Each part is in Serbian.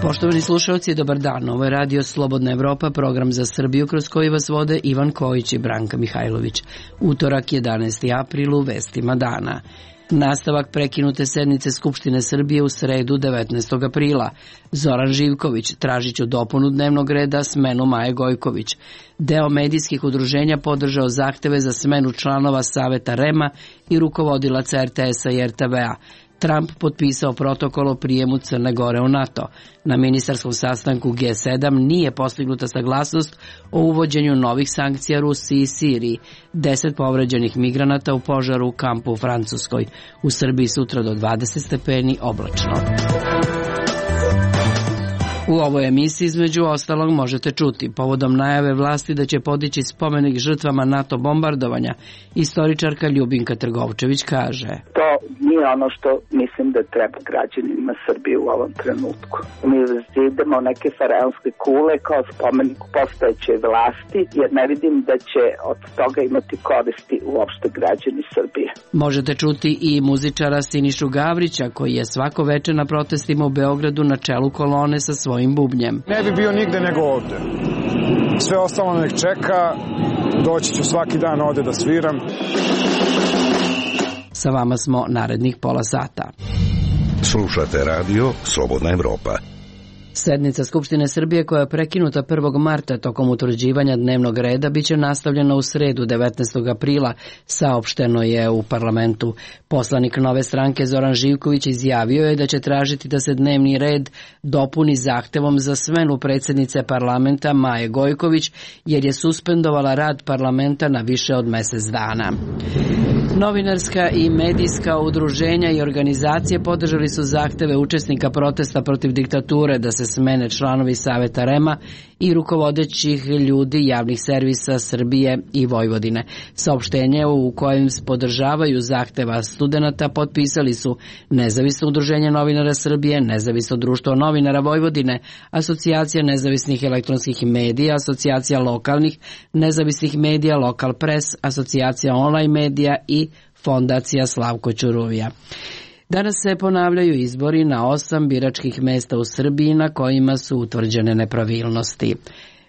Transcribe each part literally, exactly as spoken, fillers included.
Poštovani slušalci, dobar dan. Ovo je Radio Slobodna Evropa, program za Srbiju kroz koji vas vode Ivan Kojić i Branka Mihajlović. Utorak, jedanaesti april, u vestima dana. Nastavak prekinute sednice Skupštine Srbije u sredu devetnaestog aprila. Zoran Živković, tražiću dopunu dnevnog reda, smenu Maje Gojković. Deo medijskih udruženja podržao zahteve za smenu članova Saveta R E M-a i rukovodilaca R T S-a i R T V-a. Trump potpisao protokol o prijemu Crne Gore u NATO. Na ministarskom sastanku G sedam nije postignuta saglasnost o uvođenju novih sankcija Rusiji i Siriji. Deset povređenih migranata u požaru u kampu u Francuskoj. U Srbiji sutra do dvadeset stepeni, oblačno. U ovoj emisiji između ostalog možete čuti povodom najave vlasti da će podići spomenik žrtvama NATO bombardovanja. Istoričarka Ljubinka Trgovčević kaže: To nije ono što mislim da treba građanima Srbije u ovom trenutku. Mi idemo neke faraonske kule kao spomenik postojeće vlasti, jer ne vidim da će od toga imati koristi uopšte građani Srbije. Možete čuti i muzičara Sinišu Gavrića, koji je svako veče na protestima u Beogradu na čelu kolone sa svojim bubnjem. Ne bi bio nigde nego ovde. Sve ostalo nek čeka, doći ću svaki dan ovde da sviram. Sa vama smo narednih pola sata. Slušate radio Slobodna Evropa. Sednica Skupštine Srbije, koja je prekinuta prvog marta tokom utvrđivanja dnevnog reda, biće nastavljena u sredu devetnaestog aprila, saopšteno je u parlamentu. Poslanik Nove stranke Zoran Živković izjavio je da će tražiti da se dnevni red dopuni zahtevom za smenu predsjednice parlamenta Maje Gojković, jer je suspendovala rad parlamenta na više od mesec dana. Novinarska i medijska udruženja i organizacije podržali su zahteve učesnika protesta protiv diktature da se smene članovi Saveta R E M-a i rukovodećih ljudi javnih servisa Srbije i Vojvodine. Saopštenje u kojem podržavaju zahteva studenata potpisali su Nezavisno udruženje novinara Srbije, Nezavisno društvo novinara Vojvodine, Asocijacija nezavisnih elektronskih medija, Asocijacija lokalnih nezavisnih medija, Lokal Pres, Asocijacija online medija i Fondacija Slavko Ćuruvija. Danas se ponavljaju izbori na osam biračkih mesta u Srbiji na kojima su utvrđene nepravilnosti.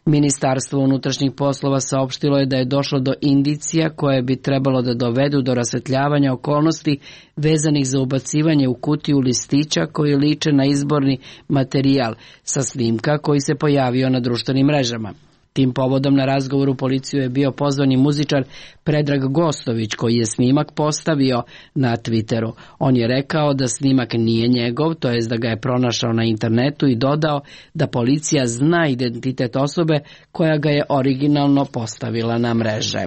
Ministarstvo unutrašnjih poslova saopštilo je da je došlo do indicija koje bi trebalo da dovedu do rasvetljavanja okolnosti vezanih za ubacivanje u kutiju listića koji liče na izborni materijal sa snimka koji se pojavio na društvenim mrežama. Tim povodom na razgovoru policiju je bio pozvani muzičar Predrag Gostović, koji je snimak postavio na Twitteru. On je rekao da snimak nije njegov, to jest da ga je pronašao na internetu, i dodao da policija zna identitet osobe koja ga je originalno postavila na mreže.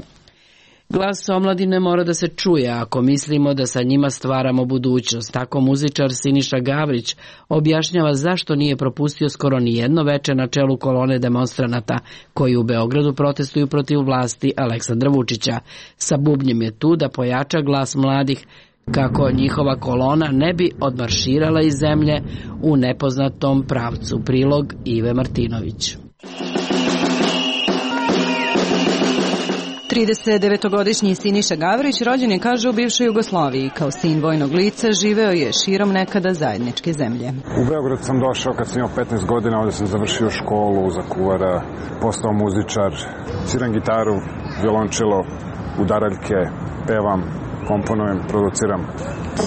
Glas omladine mora da se čuje ako mislimo da sa njima stvaramo budućnost. Tako muzičar Siniša Gavrić objašnjava zašto nije propustio skoro ni jedno veče na čelu kolone demonstranata koji u Beogradu protestuju protiv vlasti Aleksandra Vučića. Sa bubnjem je tu da pojača glas mladih kako njihova kolona ne bi odmarširala iz zemlje u nepoznatom pravcu. Prilog Ive Martinović. tridesetdevetogodišnji Siniša Gavrić rođen je, kaže, u bivšoj Jugoslaviji. Kao sin vojnog lica živeo je širom nekada zajedničke zemlje. U Beograd sam došao kad sam imao petnaest godina, ovdje sam završio školu za kuvara, postao muzičar, sviram gitaru, violončelo, udaraljke, pevam, komponujem, produciram.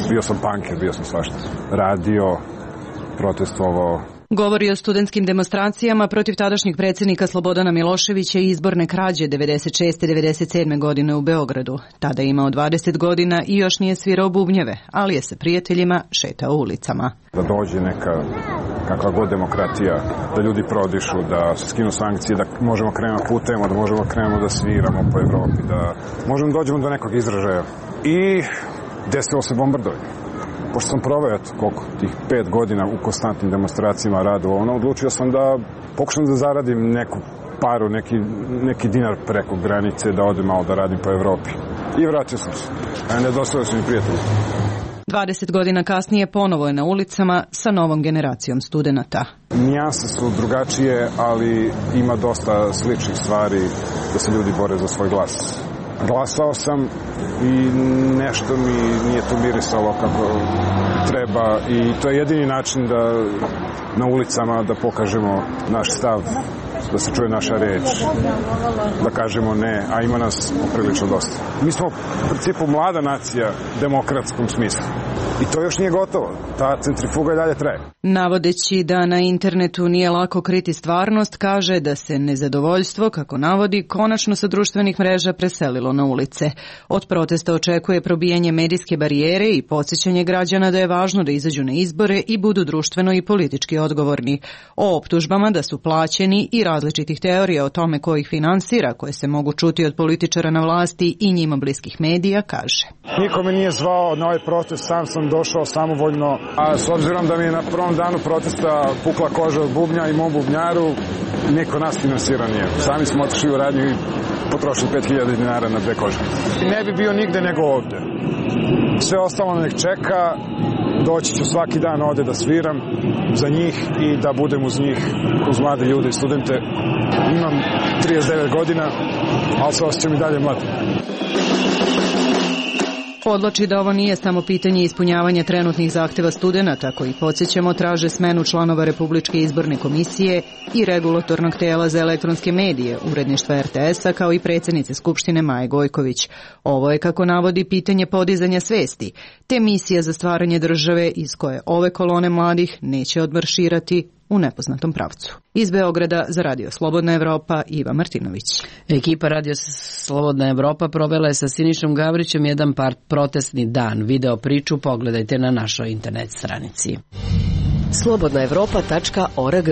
Bio sam punker, bio sam svašta. Radio, protestovao. Govori o studentskim demonstracijama protiv tadašnjeg predsjednika Slobodana Miloševića i izborne krađe devedeset šeste devedeset sedme godine u Beogradu. Tada je imao dvadeset godina i još nije svirao bubnjeve, ali je sa prijateljima šetao ulicama. Da dođe neka kakva god demokratija, da ljudi prodišu, da se skinu sankcije, da možemo krenemo putem, da možemo krenemo da sviramo po Evropi, da možemo dođemo do nekog izražaja. I desilo se bombardovanje. Pošto sam proveo koliko tih pet godina u konstantnim demonstracijama radu, ono, odlučio sam da pokušam da zaradim neku paru, neki, neki dinar preko granice, da odem malo da radim po Evropi. I vratio sam se. A nedostavio su mi prijatelji. dvadeset godina kasnije ponovo je na ulicama sa novom generacijom studenata. Nijanse su drugačije, ali ima dosta sličnih stvari da se ljudi bore za svoj glas. glasao sam i nešto mi nije to mirisalo kako treba i to je jedini način da na ulicama da pokažemo naš stav, da se čuje naša reč, da kažemo ne, a ima nas poprilično dosta. Mi smo u principu mlada nacija u demokratskom smislu i to još nije gotovo. Ta centrifuga i dalje traje. Navodeći da na internetu nije lako kriti stvarnost, kaže da se nezadovoljstvo, kako navodi, konačno sa društvenih mreža preselilo na ulice. Od protesta očekuje probijanje medijske barijere i podsjećanje građana da je važno da izađu na izbore i budu društveno i politički odgovorni. O optužbama da su plaćeni i različitih teorija o tome ko ih finansira, koje se mogu čuti od političara na vlasti i njima bliskih medija, kaže. Niko me nije zvao na ovaj protest, sam sam došao samovoljno, a s obzirom da mi je na prvom danu protesta pukla koža od bubnja i mom bubnjaru, niko nas finansira nije. Sami smo otišli u radnju i potrošili pet hiljada dinara na dve kože. Ne bi bio nigde nego ovde. Sve ostalo nek čeka, doći ću svaki dan ovde da sviram za njih i da budem uz njih, uz mlade ljude i studente. Imam trideset devet godina, ali se osjećam i dalje mlad. Podvlači da ovo nije samo pitanje ispunjavanja trenutnih zahteva studenata koji, podsjećamo, traže smenu članova Republičke izborne komisije i regulatornog tela za elektronske medije, uredništva er te es a, kao i predsjednice Skupštine Maje Gojković. Ovo je, kako navodi, pitanje podizanja svesti, te misija za stvaranje države iz koje ove kolone mladih neće odmarširati u nepoznatom pravcu. Iz Beograda za Radio Slobodna Evropa, Iva Martinović. Ekipa Radio Slobodna Evropa provela je sa Sinišom Gavrićem jedan par protestni dan. Video priču pogledajte na našoj internet stranici. slobodna evropa tačka org.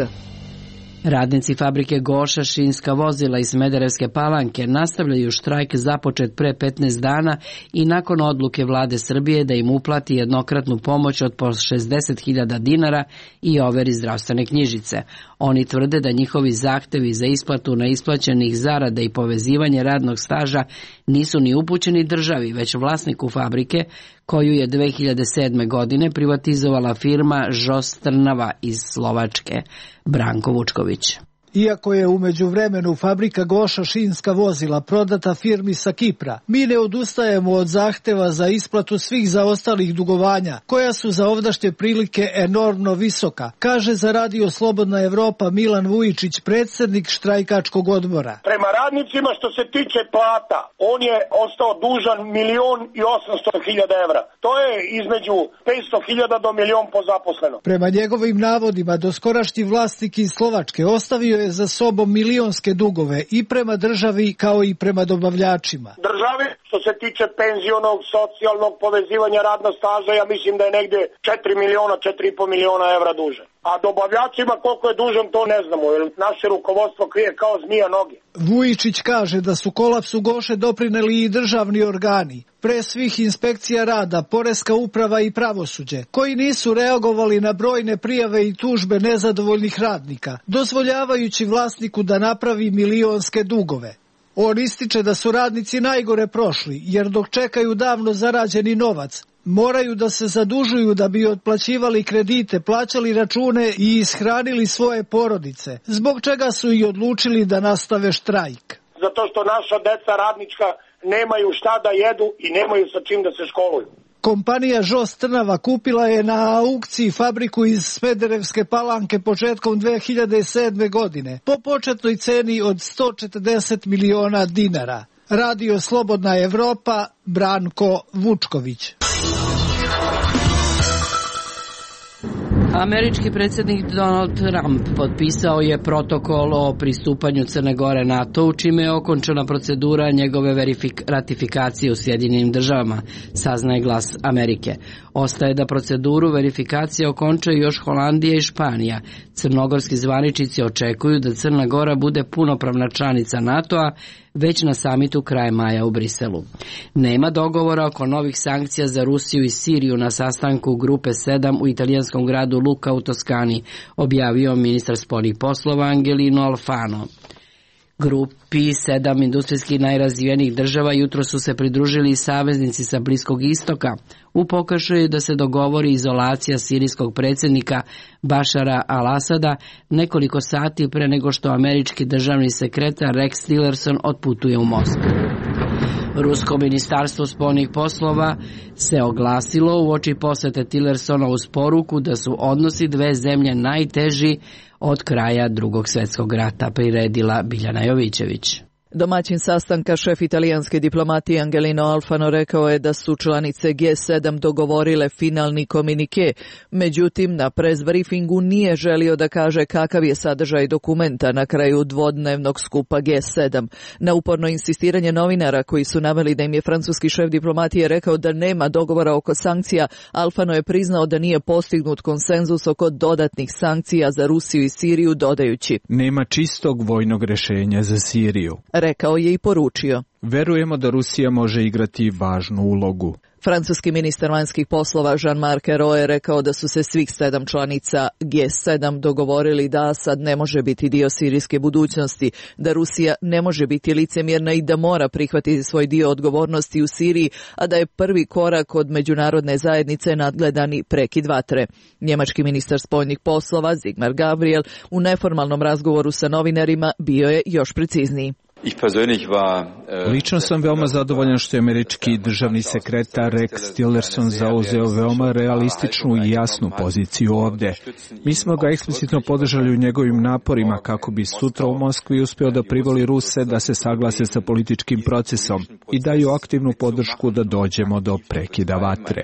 Radnici fabrike Goša šinska vozila iz Smederevske Palanke nastavljaju štrajk započet pre petnaest dana i nakon odluke vlade Srbije da im uplati jednokratnu pomoć od po šezdeset hiljada dinara i overi zdravstvene knjižice. Oni tvrde da njihovi zahtevi za isplatu neisplaćenih zarada i povezivanje radnog staža nisu ni upućeni državi, već vlasniku fabrike, koju je dve hiljade sedme. godine privatizovala firma Žos Trnava iz Slovačke. Branko Vučković. Iako je u međuvremenu fabrika Goša šinska vozila prodata firmi sa Kipra, mi ne odustajemo od zahteva za isplatu svih zaostalih dugovanja, koja su za ovdašnje prilike enormno visoka, kaže za Radio Slobodna Evropa Milan Vujičić, predsjednik štrajkačkog odbora. Prema radnicima što se tiče plata, on je ostao dužan milion i osamsto hiljada evra. To je između petsto hiljada do milion po zaposleno. Prema njegovim navodima, doskorašnji vlasnik iz Slovačke ostavio je za sobom milionske dugove i prema državi kao i prema dobavljačima. Državi, što se tiče penzionog, socijalnog povezivanja radnog staža, ja mislim da je negde četiri miliona, četiri i po miliona evra dužan. A dobavljačima koliko je dužan, to ne znamo, jer naše rukovodstvo krije kao zmija noge. Vujičić kaže da su kolapsu Goše doprineli i državni organi, pre svih inspekcija rada, poreska uprava i pravosuđe, koji nisu reagovali na brojne prijave i tužbe nezadovoljnih radnika, dozvoljavajući vlasniku da napravi milionske dugove. On ističe da su radnici najgore prošli, jer dok čekaju davno zarađeni novac, moraju da se zadužuju da bi otplaćivali kredite, plaćali račune i ishranili svoje porodice, zbog čega su i odlučili da nastave štrajk. Zato što naša deca radnička nemaju šta da jedu i nemaju sa čim da se školuju. Kompanija Žos Trnava kupila je na aukciji fabriku iz Smederevske Palanke početkom dve hiljade sedme. godine po početnoj ceni od sto četrdeset miliona dinara. Radio Slobodna Evropa, Branko Vučković. Američki predsjednik Donald Trump potpisao je protokol o pristupanju Crne Gore NATO-u, čime je okončana procedura njegove verifik- ratifikacije u Sjedinjenim državama, saznaje Glas Amerike. Ostaje da proceduru verifikacije okončaju još Holandija i Španija. Crnogorski zvaničnici očekuju da Crna Gora bude punopravna članica NATO-a već na samitu kraj maja u Briselu. Nema dogovora oko novih sankcija za Rusiju i Siriju na sastanku Grupe sedam u italijanskom gradu Luka u Toskani, objavio ministar spoljnih poslova Angelino Alfano. Grupi sedam industrijskih najrazvijenijih država jutro su se pridružili i saveznici sa Bliskog istoka u pokušaju da se dogovori izolacija sirijskog predsjednika Bašara al-Asada nekoliko sati pre nego što američki državni sekretar Rex Tillerson otputuje u Moskvu. Rusko ministarstvo spoljnih poslova se oglasilo uoči posete Tillersona uz poruku da su odnosi dve zemlje najteži od kraja Drugog svjetskog rata, priredila Biljana Jovićević. Domaćin sastanka, šef italijanske diplomatije Angelino Alfano, rekao je da su članice G sedam dogovorile finalni komunike, međutim na press briefingu nije želio da kaže kakav je sadržaj dokumenta na kraju dvodnevnog skupa G sedam. Na uporno insistiranje novinara koji su naveli da im je francuski šef diplomatije rekao da nema dogovora oko sankcija, Alfano je priznao da nije postignut konsenzus oko dodatnih sankcija za Rusiju i Siriju, dodajući: nema čistog vojnog rešenja za Siriju. Rekao je i poručio: verujemo da Rusija može igrati važnu ulogu. Francuski ministar vanjskih poslova Jean-Marc Ayrault je rekao da su se svih sedam članica G sedam dogovorili da Asad ne može biti dio sirijske budućnosti, da Rusija ne može biti licemjerna i da mora prihvatiti svoj dio odgovornosti u Siriji, a da je prvi korak od međunarodne zajednice nadgledani prekid vatre. Njemački ministar spoljnih poslova Sigmar Gabriel u neformalnom razgovoru sa novinarima bio je još precizniji. Lično sam veoma zadovoljan što je američki državni sekretar Rex Tillerson zauzeo veoma realističnu i jasnu poziciju ovde. Mi smo ga eksplicitno podržali u njegovim naporima kako bi sutra u Moskvi uspeo da privoli Ruse da se saglase sa političkim procesom i daju aktivnu podršku da dođemo do prekida vatre.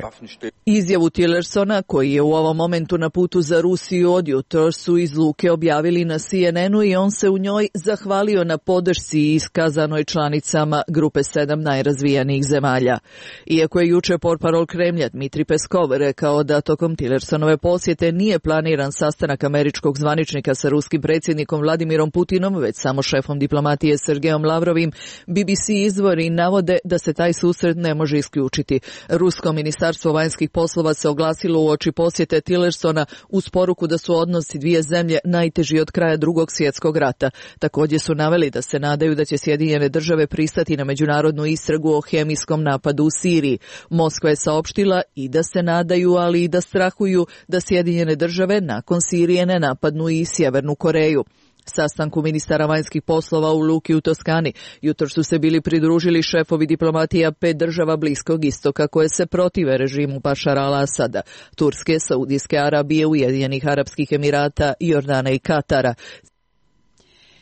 Izjavu Tillersona, koji je u ovom momentu na putu za Rusiju od jutros, su iz Luke objavili na C N N-u i on se u njoj zahvalio na podršci iskazanoj članicama grupe sedam najrazvijanijih zemalja. Iako je juče portparol Kremlja Dmitri Peskov rekao da tokom Tillersonove posjete nije planiran sastanak američkog zvaničnika sa ruskim predsjednikom Vladimirom Putinom, već samo šefom diplomatije Sergejom Lavrovim, B B C izvori navode da se taj susret ne može isključiti. Rusko ministarstvo vanjskih poslova se oglasilo uoči posjete Tillersona uz poruku da su odnosi dvije zemlje najteži od kraja Drugog svjetskog rata. Također su naveli da se nadaju da će Sjedinjene države pristati na međunarodnu istragu o hemijskom napadu u Siriji. Moskva je saopštila i da se nadaju, ali i da strahuju da Sjedinjene države nakon Sirije ne napadnu i Sjevernu Koreju. Sastanku ministara vanjskih poslova u Luki u Toskani jutros su se bili pridružili šefovi diplomatija pet država Bliskog istoka koje se protive režimu Bašara al-Asada: Turske, Saudijske Arabije, Ujedinjenih Arapskih Emirata, Jordana i Katara.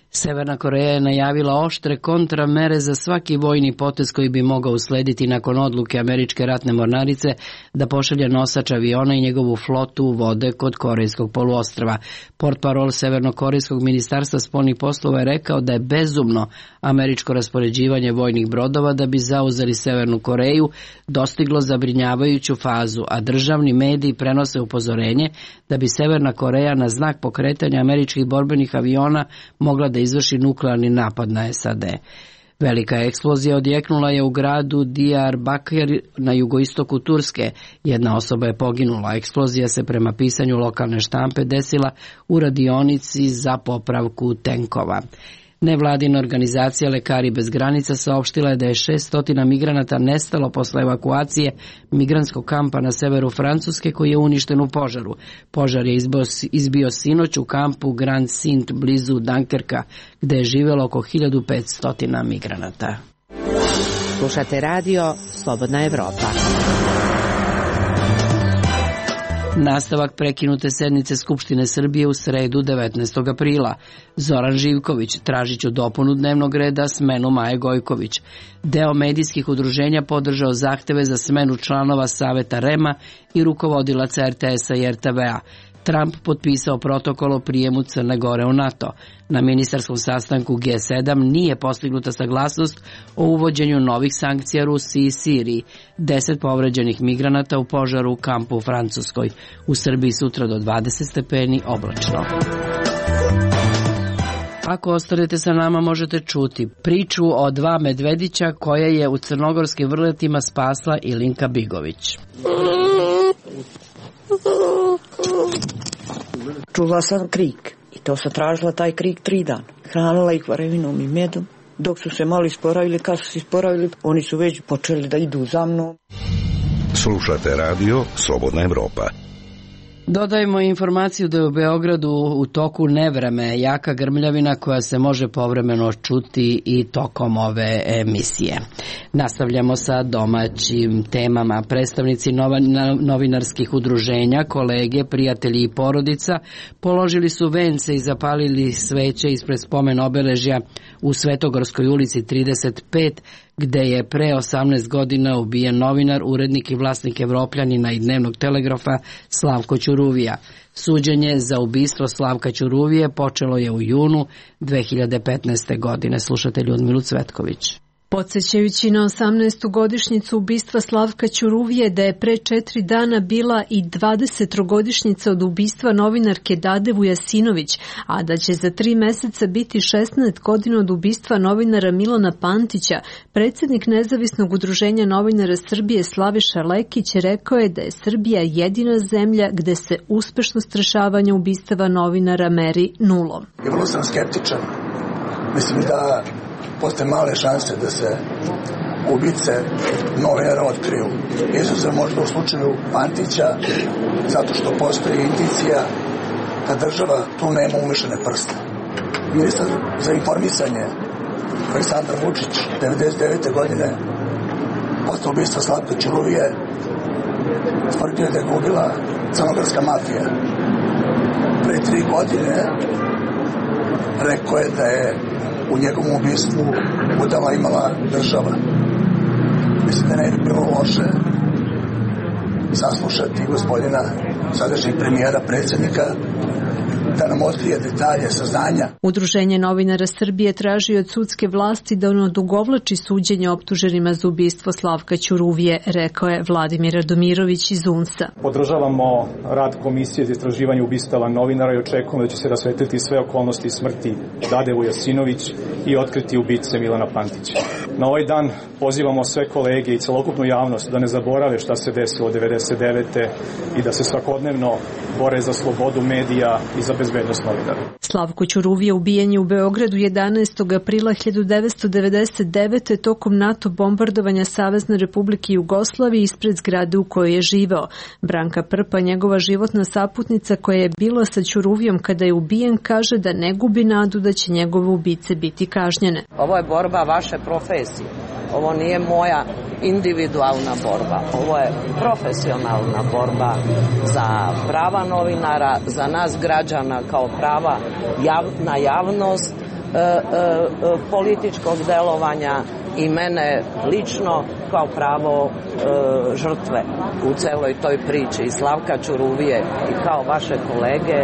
Severna Koreja je najavila oštre kontramere za svaki vojni potez koji bi mogao uslediti nakon odluke američke ratne mornarice da pošalje nosač aviona i njegovu flotu u vode kod Korejskog poluostrva. Portparol Severnokorejskog ministarstva spoljnih poslova je rekao da je bezumno američko raspoređivanje vojnih brodova da bi zauzeli Severnu Koreju dostiglo zabrinjavajuću fazu, a državni mediji prenose upozorenje da bi Severna Koreja na znak pokretanja američkih borbenih aviona mogla da izvrši nuklearni napad na S A D. Velika eksplozija odjeknula je u gradu Diyarbakir na jugoistoku Turske. Jedna osoba je poginula. Eksplozija se prema pisanju lokalne štampe desila u radionici za popravku tenkova. Nevladina organizacija Lekari bez granica saopštila je da je šesnaest migranata nestalo posle evakuacije migrantskog kampa na severu Francuske koji je uništen u požaru. Požar je izbio, izbio sinoć u kampu Grand Sint blizu Dunkerka, gde je živelo oko hiljadu petsto migranata. Slušate radio Slobodna Evropa. Nastavak prekinute sednice Skupštine Srbije u sredu devetnaestog aprila. Zoran Živković, tražiću dopunu dnevnog reda, smenu Maje Gojković. Deo medijskih udruženja podržao zahteve za smenu članova Saveta R E M-a i rukovodilaca R T S-a i R T V-a. Trump potpisao protokol o prijemu Crne Gore u NATO. Na ministarskom sastanku G sedam nije postignuta saglasnost o uvođenju novih sankcija Rusiji i Siriji. Deset povređenih migranata u požaru u kampu u Francuskoj. U Srbiji sutra do dvadeset stepeni, oblačno. Ako ostanete sa nama možete čuti priču o dva medvedića koje je u crnogorskim vrletima spasla Ilinka Bigović. Čula sam krik i to sam tražila taj krik tri dana. Hranila ih varevinom i medom. Dok su se malo isporavili, kad su se isporavili, oni su već počeli da idu za mnom. Slušate radio Slobodna Evropa. Dodajemo informaciju da je u Beogradu u toku nevreme jaka grmljavina koja se može povremeno čuti i tokom ove emisije. Nastavljamo sa domaćim temama. Predstavnici novinarskih udruženja, kolege, prijatelji i porodica položili su vence i zapalili sveće ispred spomen obeležja u Svetogorskoj ulici trideset pet, gde je pre osamnaest godina ubijen novinar, urednik i vlasnik Evropljanina i Dnevnog telegrafa Slavko Ćuruvija. Suđenje za ubistvo Slavka Ćuruvije počelo je u junu dve hiljade petnaeste. godine. Slušate Ljudmilu Cvetković. Podsećajući na osamnaestu godišnjicu ubistva Slavka Ćuruvije da je pre četiri dana bila i dvadesetogodišnjica od ubistva novinarke Dade Vujasinović, a da će za tri meseca biti šesnaest godina od ubistva novinara Milana Pantića, predsjednik Nezavisnog udruženja novinara Srbije Slaviša Lekić rekao je da je Srbija jedina zemlja gde se uspešno strešavanje ubistava novinara meri nulom. Ja vrlo sam skeptičan. Mislim da postoje male šanse da se ubice novinara otkriju. Izuzev možda u slučaju Pantića, zato što postoji indicija da država tu nema umešane prste. Ministar za informisanje Aleksandar Vučić devedeset devete. godine posle ubistva Slavka Ćuruvije tvrdio da je ga ubila crnogorska mafija. Pre tri godine rekao je da je u njegovom ubistvu udela imala država. Mislim da ne bi bilo loše saslušati gospodina sadašnjeg premijera, predsjednika, da nam otkrije detalje, saznanja. Udruženje novinara Srbije traži od sudske vlasti da on odugovlači suđenje optuženima za ubistvo Slavka Ćuruvije, rekao je Vladimir Radomirović iz U N S-a. Podržavamo rad Komisije za istraživanje ubistava novinara i očekujemo da će se rasvetliti sve okolnosti smrti Dade Vujasinović i otkriti ubice Milana Pantića. Na ovaj dan pozivamo sve kolege i celokupnu javnost da ne zaborave šta se desilo devedeset devete. i da se svakodnevno bore za slobodu medija i za bezbednost novinara. Slavko Ćuruvije ubijen je u Beogradu jedanaestog aprila hiljadu devetsto devedeset devete. tokom NATO bombardovanja Savezne Republike Jugoslavije ispred zgrade u kojoj je živeo. Branka Prpa, njegova životna saputnica koja je bila sa Ćuruvijom kada je ubijen, kaže da ne gubi nadu da će njegove ubice biti kažnjene. Ovo je borba vaše profesije. Ovo nije moja individualna borba. Ovo je profesionalna borba za prava novinara, za nas građana kao prava jav, na javnost, e, e, političkog delovanja i mene lično kao pravo e, žrtve u celoj toj priči i Slavka Ćuruvije i kao vaše kolege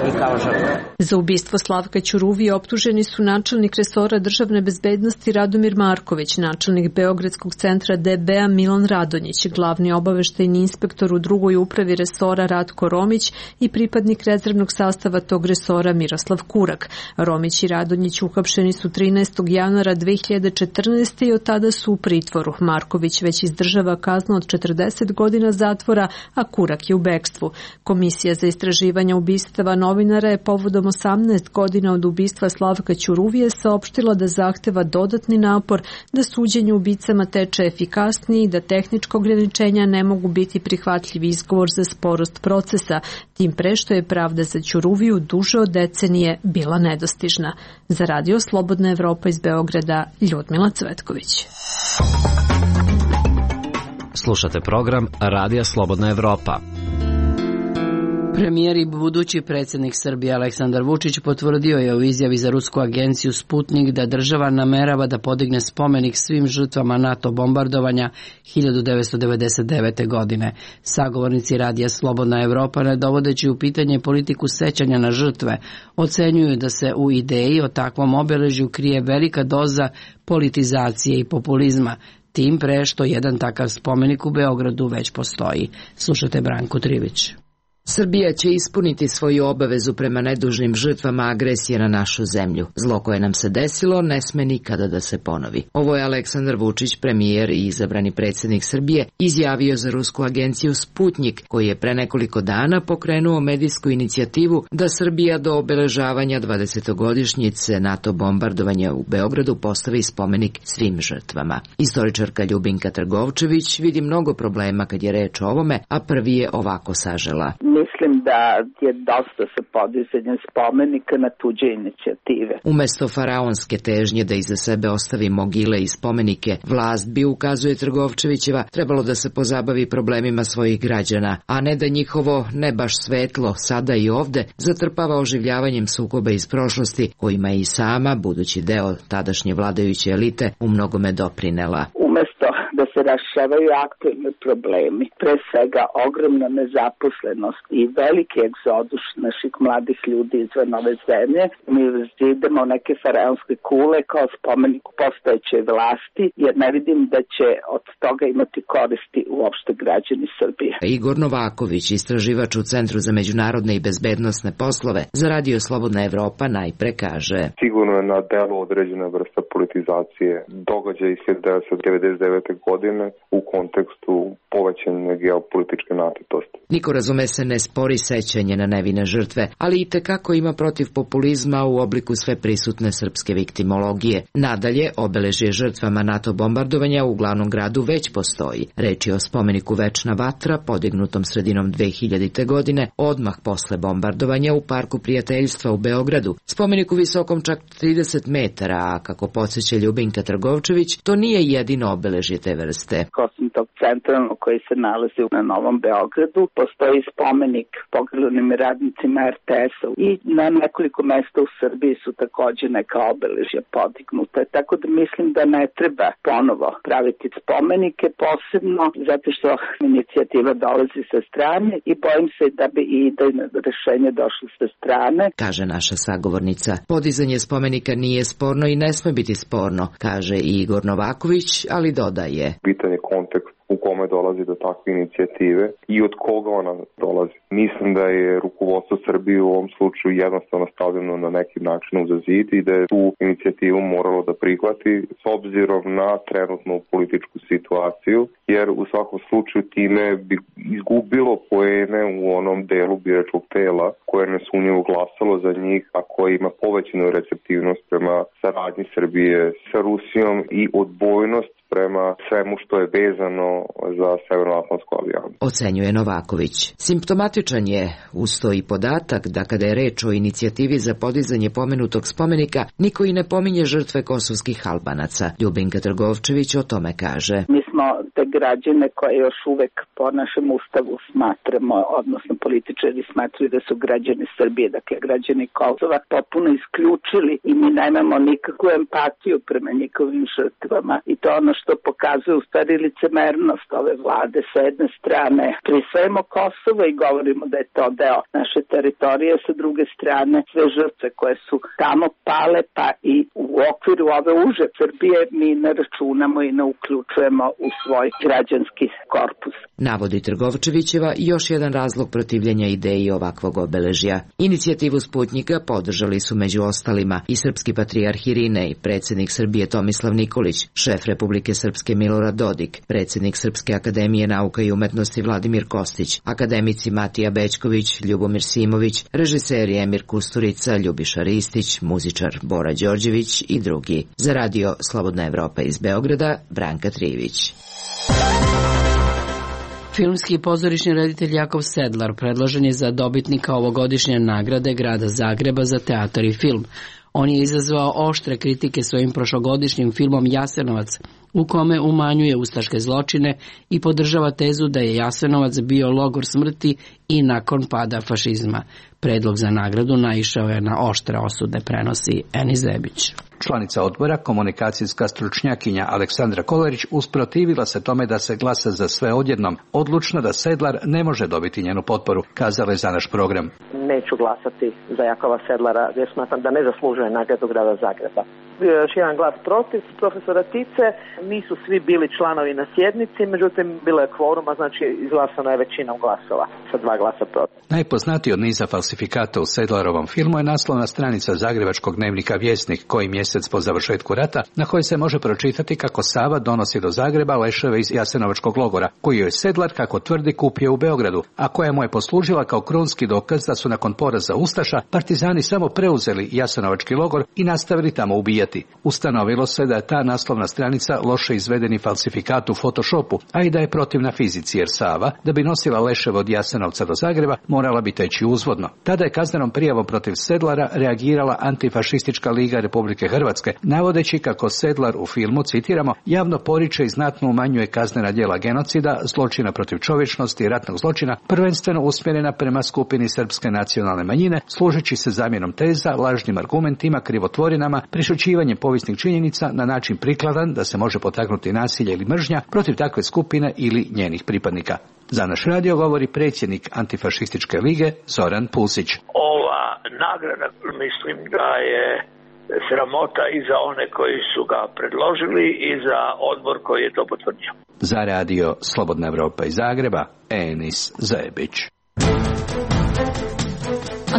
i kao žrtve. Za ubistvo Slavka Ćuruvije optuženi su načelnik resora državne bezbednosti Radomir Marković, načelnik Beogradskog centra D B-a Milan Radonjić, glavni obaveštajni inspektor u drugoj upravi resora Ratko Romić i pripadnik rezervnog sastava tog resora Miroslav Kurak. Romić i Radonjić uhapšeni su trinaestog januara dve hiljade četrnaeste. i od tada su u pritvoru. Marković već izdržava kaznu od četrdeset godina zatvora, a Kurak je u bekstvu. Komisija za istraživanje ubistava novinara je povodom osamnaest godina od ubistva Slavka Ćuruvije saopštila da zahteva dodatni napor da suđenje ubicama teče efikasnije i da tehnička ograničenja ne mogu biti prihvatljiv izgovor za sporost procesa, tim pre što je pravda za Ćuruviju duže od decenije bila nedostižna. Za Radio Slobodna Evropa iz Beograda, Ljudmila Cvetković. Slušate program Radija Slobodna Evropa. Premijer i budući predsjednik Srbije Aleksandar Vučić potvrdio je u izjavi za rusku agenciju Sputnik da država namerava da podigne spomenik svim žrtvama NATO bombardovanja hiljadu devetsto devedeset devete. godine. Sagovornici Radija Slobodna Evropa, ne dovodeći u pitanje politiku sećanja na žrtve, ocenjuju da se u ideji o takvom obeležju krije velika doza politizacije i populizma, tim pre što jedan takav spomenik u Beogradu već postoji. Slušate Branku Trivić. Srbija će ispuniti svoju obavezu prema nedužnim žrtvama agresije na našu zemlju. Zlo koje nam se desilo ne sme nikada da se ponovi. Ovo je Aleksandar Vučić, premijer i izabrani predsjednik Srbije, izjavio za rusku agenciju Sputnik, koji je pre nekoliko dana pokrenuo medijsku inicijativu da Srbija do obeležavanja dvadesetogodišnjice NATO bombardovanja u Beogradu postavi spomenik svim žrtvama. Istoričarka Ljubinka Trgovčević vidi mnogo problema kad je reč o ovome, a prvi je ovako sažela. mislim da je dosta sa podizanjem spomenika na tuđe inicijative. Umesto faraonske težnje da iza sebe ostavi mogile i spomenike, vlast bi, ukazuje Trgovčevićeva, trebalo da se pozabavi problemima svojih građana, a ne da njihovo ne baš svetlo sada i ovde zatrpava oživljavanjem sukoba iz prošlosti, kojima je i sama, budući deo tadašnje vladajuće elite, u mnogome doprinela. Umesto da se rašavaju aktualni problemi, pre svega ogromna nezaposlenost i veliki egzodus naših mladih ljudi izvan ove zemlje, mi idemo neke faraonske kule kao spomenik postojećoj vlasti, jer ne vidim da će od toga imati koristi uopšte građani Srbije. Igor Novaković, istraživač u Centru za međunarodne i bezbednosne poslove, za Radio Slobodna Evropa najpre kaže: Sigurno je na delu određena vrsta politizacije događaja iz hiljadu devetsto devedeset devete. godine u kontekstu povećanja geopolitičke napetosti. Niko, razume se, ne spori sećanje na nevine žrtve, ali i tekako ima protiv populizma u obliku sve prisutne srpske viktimologije. Nadalje, obeležje žrtvama NATO bombardovanja u glavnom gradu već postoji. Reč je o spomeniku Večna vatra, podignutom sredinom dve hiljadite. godine, odmah posle bombardovanja u Parku prijateljstva u Beogradu. Spomeniku visokom čak trideset metara, a kako podsjeća Ljubinka Trgovčević, to nije jedino obeležje te vrste. Osim tog centralnog koji se nalazi na Novom Beogradu, postoji spomenik poginulim radnicima er te es-a i na nekoliko mesta u Srbiji su takođe neka obeležja podignute. Tako da mislim da ne treba ponovo praviti spomenike, posebno zato što inicijativa dolazi sa strane i bojim se da bi i idejno rešenje došlo sa strane. Kaže naša sagovornica. Podizanje spomenika nije sporno i ne sme biti sporno, kaže i Igor Novaković, ali dodaje: Pitanje kontekst u kome dolazi do takve inicijative i od koga ona dolazi. Mislim da je rukovodstvo Srbije u ovom slučaju jednostavno stavljeno na neki način uza zid i da je tu inicijativu moralo da prihvati s obzirom na trenutnu političku situaciju, jer u svakom slučaju time bi izgubilo poene u onom delu biračkog tela koje nesumnjivo glasalo za njih, a koje ima povećanu receptivnost prema saradnji Srbije sa Rusijom i odbojnost prema svemu što je vezano za Severnoatlantsku alijansu. Ocenjuje Novaković. Simptomatičan je uz to i podatak da kada je reč o inicijativi za podizanje pomenutog spomenika, niko i ne pominje žrtve kosovskih Albanaca. Ljubinka Trgovčević o tome kaže: Mi smo te građane koje još uvek po našem ustavu smatramo, odnosno političari smatraju da su građani Srbije, dakle građani Kosova, potpuno isključili i mi nemamo nikakvu empatiju prema njihovim žrtvama i to ono što pokazuje u stvari licemernost ove vlade. Sa jedne strane prisvajamo Kosovo i govorimo da je to deo naše teritorije, sa druge strane sve žrtve koje su tamo pale, pa i u okviru ove uže Srbije mi ne računamo i ne uključujemo u svoj građanski korpus. Navodi Trgovčevićeva još jedan razlog protivljenja ideji ovakvog obeležja. Inicijativu Sputnjika podržali su među ostalima i srpski patrijarh Irinej, predsjednik Srbije Tomislav Nikolić, šef Republike Srpske Milorad Dodik, predsjednik Srpske akademije nauka i umetnosti Vladimir Kostić, akademici Matija Bećković, Ljubomir Simović, režiseri Emir Kusturica, Ljubiša Ristić, muzičar Bora Đorđević i drugi. Za Radio Slobodna Evropa iz Beograda, Branka Trivić. Filmski i pozorišni reditelj Jakov Sedlar predložen je za dobitnika ovogodišnje nagrade Grada Zagreba za teatar i film. On je izazvao oštre kritike svojim prošlogodišnjim filmom Jasenovac, u kome umanjuje ustaške zločine i podržava tezu da je Jasenovac bio logor smrti i nakon pada fašizma. Predlog za nagradu naišao je na oštre osude, prenosi Eni Zebić. Članica odbora, komunikacijska stručnjakinja Aleksandra Kolarić, usprotivila se tome da se glasa za sve odjednom, odlučna da Sedlar ne može dobiti njenu potporu, kazala je za naš program. Neću glasati za Jakova Sedlara jer smatram da ne zaslužuje nagradu Grada Zagreba. Bio je još jedan glas protiv profesora Tice, nisu svi bili članovi na sjednici, međutim bilo je kvoruma, znači izglasano je većinom glasova sa dva glasa protiv. Najpoznatiji od niza falsifikata u Sedlarovom filmu je naslovna stranica zagrebačkog dnevnika Vjesnik, koji mjesec po završetku rata, na kojoj se može pročitati kako Sava donosi do Zagreba leševe iz Jasenovačkog logora, koji je Sedlar, kako tvrdi, kupio u Beogradu, a koja mu je poslužila kao krunski dokaz da su nakon poraza ustaša partizani samo preuzeli Jasenovački logor i nastavili tamo ubijati odbijati. Ustanovilo se da je ta naslovna stranica loše izvedeni falsifikat u Photoshopu, a i da je protivna fizici, jer Sava, da bi nosila leševe od Jasenovca do Zagreba, morala bi teći uzvodno. Tada je kaznenom prijavom protiv Sedlara reagirala Antifašistička liga Republike Hrvatske, navodeći kako Sedlar u filmu, citiramo, javno poriče i znatno umanjuje kaznena djela genocida, zločina protiv čovječnosti i ratnog zločina, prvenstveno usmjerena prema skupini srpske nacionalne manjine, služeći se zamjenom teza, lažnim argumentima, krivotvorinama, prešućivanjem povijesnih činjenica na način prikladan da se može potaknuti nasilje ili mržnja protiv takve skupine ili njenih pripadnika. Za naš radio govori predsjednik Antifašističke lige Zoran Pulsić. Ova nagrada mislim da je sramota i za one koji su ga predložili i za odbor koji je to potvrdio. Za radio Slobodna Evropa iz Zagreba, Enis Zebić.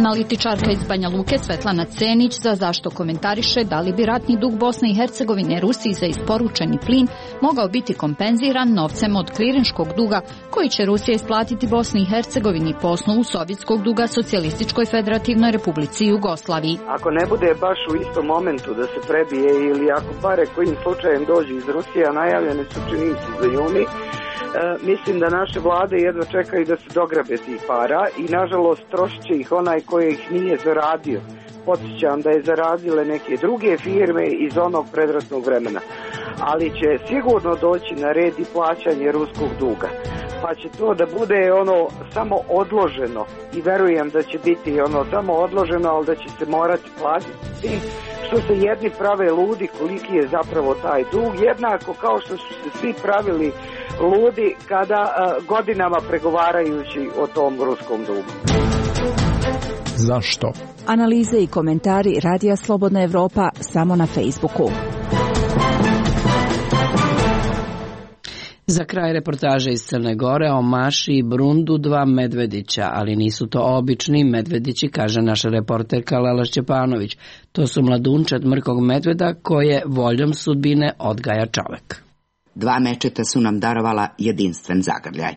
Analitičarka iz Banja Luke Svetlana Cenić za Zašto komentariše da li bi ratni dug Bosne i Hercegovine Rusiji za isporučeni plin mogao biti kompenziran novcem od klirinškog duga koji će Rusija isplatiti Bosni i Hercegovini po osnovu sovjetskog duga Socijalističkoj Federativnoj Republici Jugoslaviji. Ako ne bude baš u istom momentu da se prebije ili ako pare kojim slučajem dođe iz Rusije, a najavljene su čini se za juni, E, mislim da naše vlade jedva čekaju da se dograbe tih para i nažalost trošit će ih onaj koji ih nije zaradio. Podsjećam da je zaradile neke druge firme iz onog predratnog vremena. Ali će sigurno doći na red i plaćanje ruskog duga. Pa će to da bude ono samo odloženo i verujem da će biti ono samo odloženo, ali da će se morati platiti što se jedni prave ludi koliki je zapravo taj dug, jednako kao što su se svi pravili ludi kada uh, godinama pregovarajući o tom ruskom dugu. Zašto? Analize i komentari Radija Slobodna Evropa samo na Facebooku. Za kraj reportaže iz Crne Gore o Maši i Brundu dva medvedića, ali nisu to obični medvedići, kaže naša reporterka Lela Šćepanović. To su mladunčad mrkog medveda koje voljom sudbine odgaja čovek. Dva mečeta su nam darovala jedinstven zagrljaj.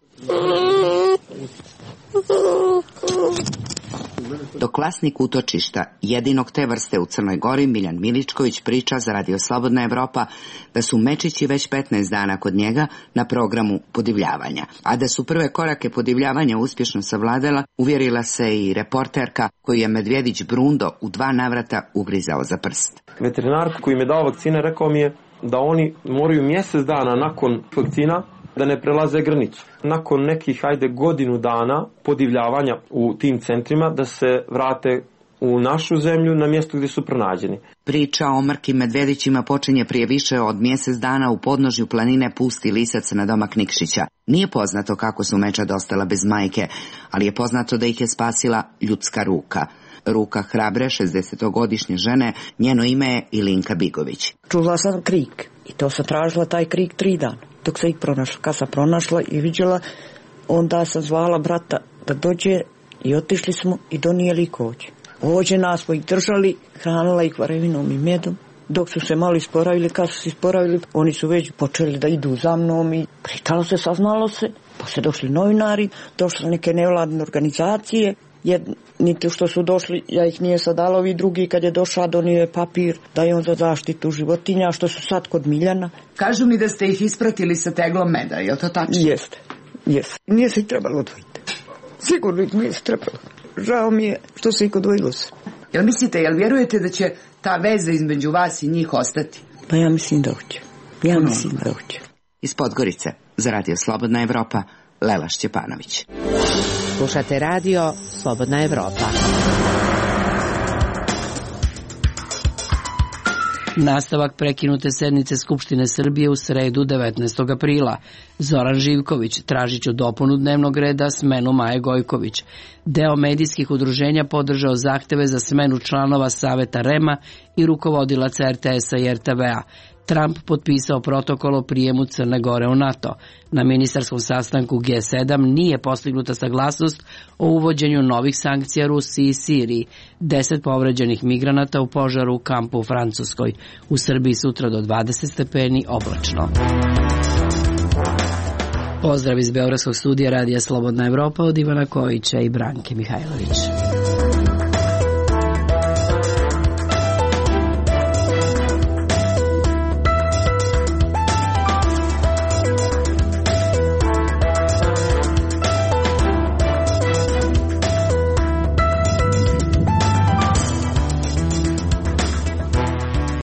Dok vlasnik utočišta jedinog te vrste u Crnoj Gori, Miljan Miličković, priča za Radio Slobodna Evropa da su mečići već petnaest dana kod njega na programu podivljavanja. A da su prve korake podivljavanja uspješno savladala, uvjerila se i reporterka koju je medvjedić Brundo u dva navrata ugrizao za prst. Veterinar koji mi je dao vakcine rekao mi je da oni moraju mjesec dana nakon vakcina da ne prelaze granicu. Nakon nekih, ajde, godinu dana podivljavanja u tim centrima da se vrate u našu zemlju na mjesto gdje su pronađeni. Priča o mrkim medvedićima počinje prije više od mjesec dana u podnožju planine Pusti Lisac na domak Nikšića. Nije poznato kako su mečad ostala bez majke, ali je poznato da ih je spasila ljudska ruka. Ruka hrabre šezdesetogodišnje žene, njeno ime je Ilinka Bigović. Čula sam krik i to sam tražila taj krik tri dana. Dok sam ih pronašla, kad sam pronašla i vidjela, onda sam zvala brata da dođe i otišli smo i donijeli ih ovdje. Ovdje nas smo ih držali, hranila ih varevinom i medom. Dok su se malo isporavili, kad su se isporavili, oni su već počeli da idu za mnom i pričalo se, saznalo se. Pa se došli novinari, došle neke nevladne organizacije. Jedni što su došli, ja ih nije sad dala, ovi drugi kad je došao donio je papir da je on za zaštitu životinja, što su sad kod Miljana. Kažu mi da ste ih ispratili sa teglom meda, je li to tačno? Jeste, jeste. Nije se ih trebalo odvojiti. Sigurno ih nije se trebalo. Žao mi je što se ih odvojilo se. Jel mislite, jel vjerujete da će ta veza između vas i njih ostati? Pa ja mislim da hoće. Ja no. mislim da hoće. Iz Podgorice, za Radio Slobodna Evropa, Lela Šćepanović. Slušate radio Slobodna Evropa. Nastavak prekinute sednice Skupštine Srbije u sredu devetnaestog aprila. Zoran Živković, tražit ću dopunu dnevnog reda, smenu Maje Gojković. Deo medijskih udruženja podržao zahteve za smenu članova Saveta REM-a i rukovodilaca R T S-a i R T V-a. Trump potpisao protokol o prijemu Crne Gore u NATO. Na ministarskom sastanku G sedam nije postignuta saglasnost o uvođenju novih sankcija Rusiji i Siriji. Deset povređenih migranata u požaru u kampu u Francuskoj. U Srbiji sutra do dvadeset stepeni oblačno. Pozdrav iz Beogradskog studija Radija Slobodna Evropa od Ivana Kojića i Branke Mihajlović.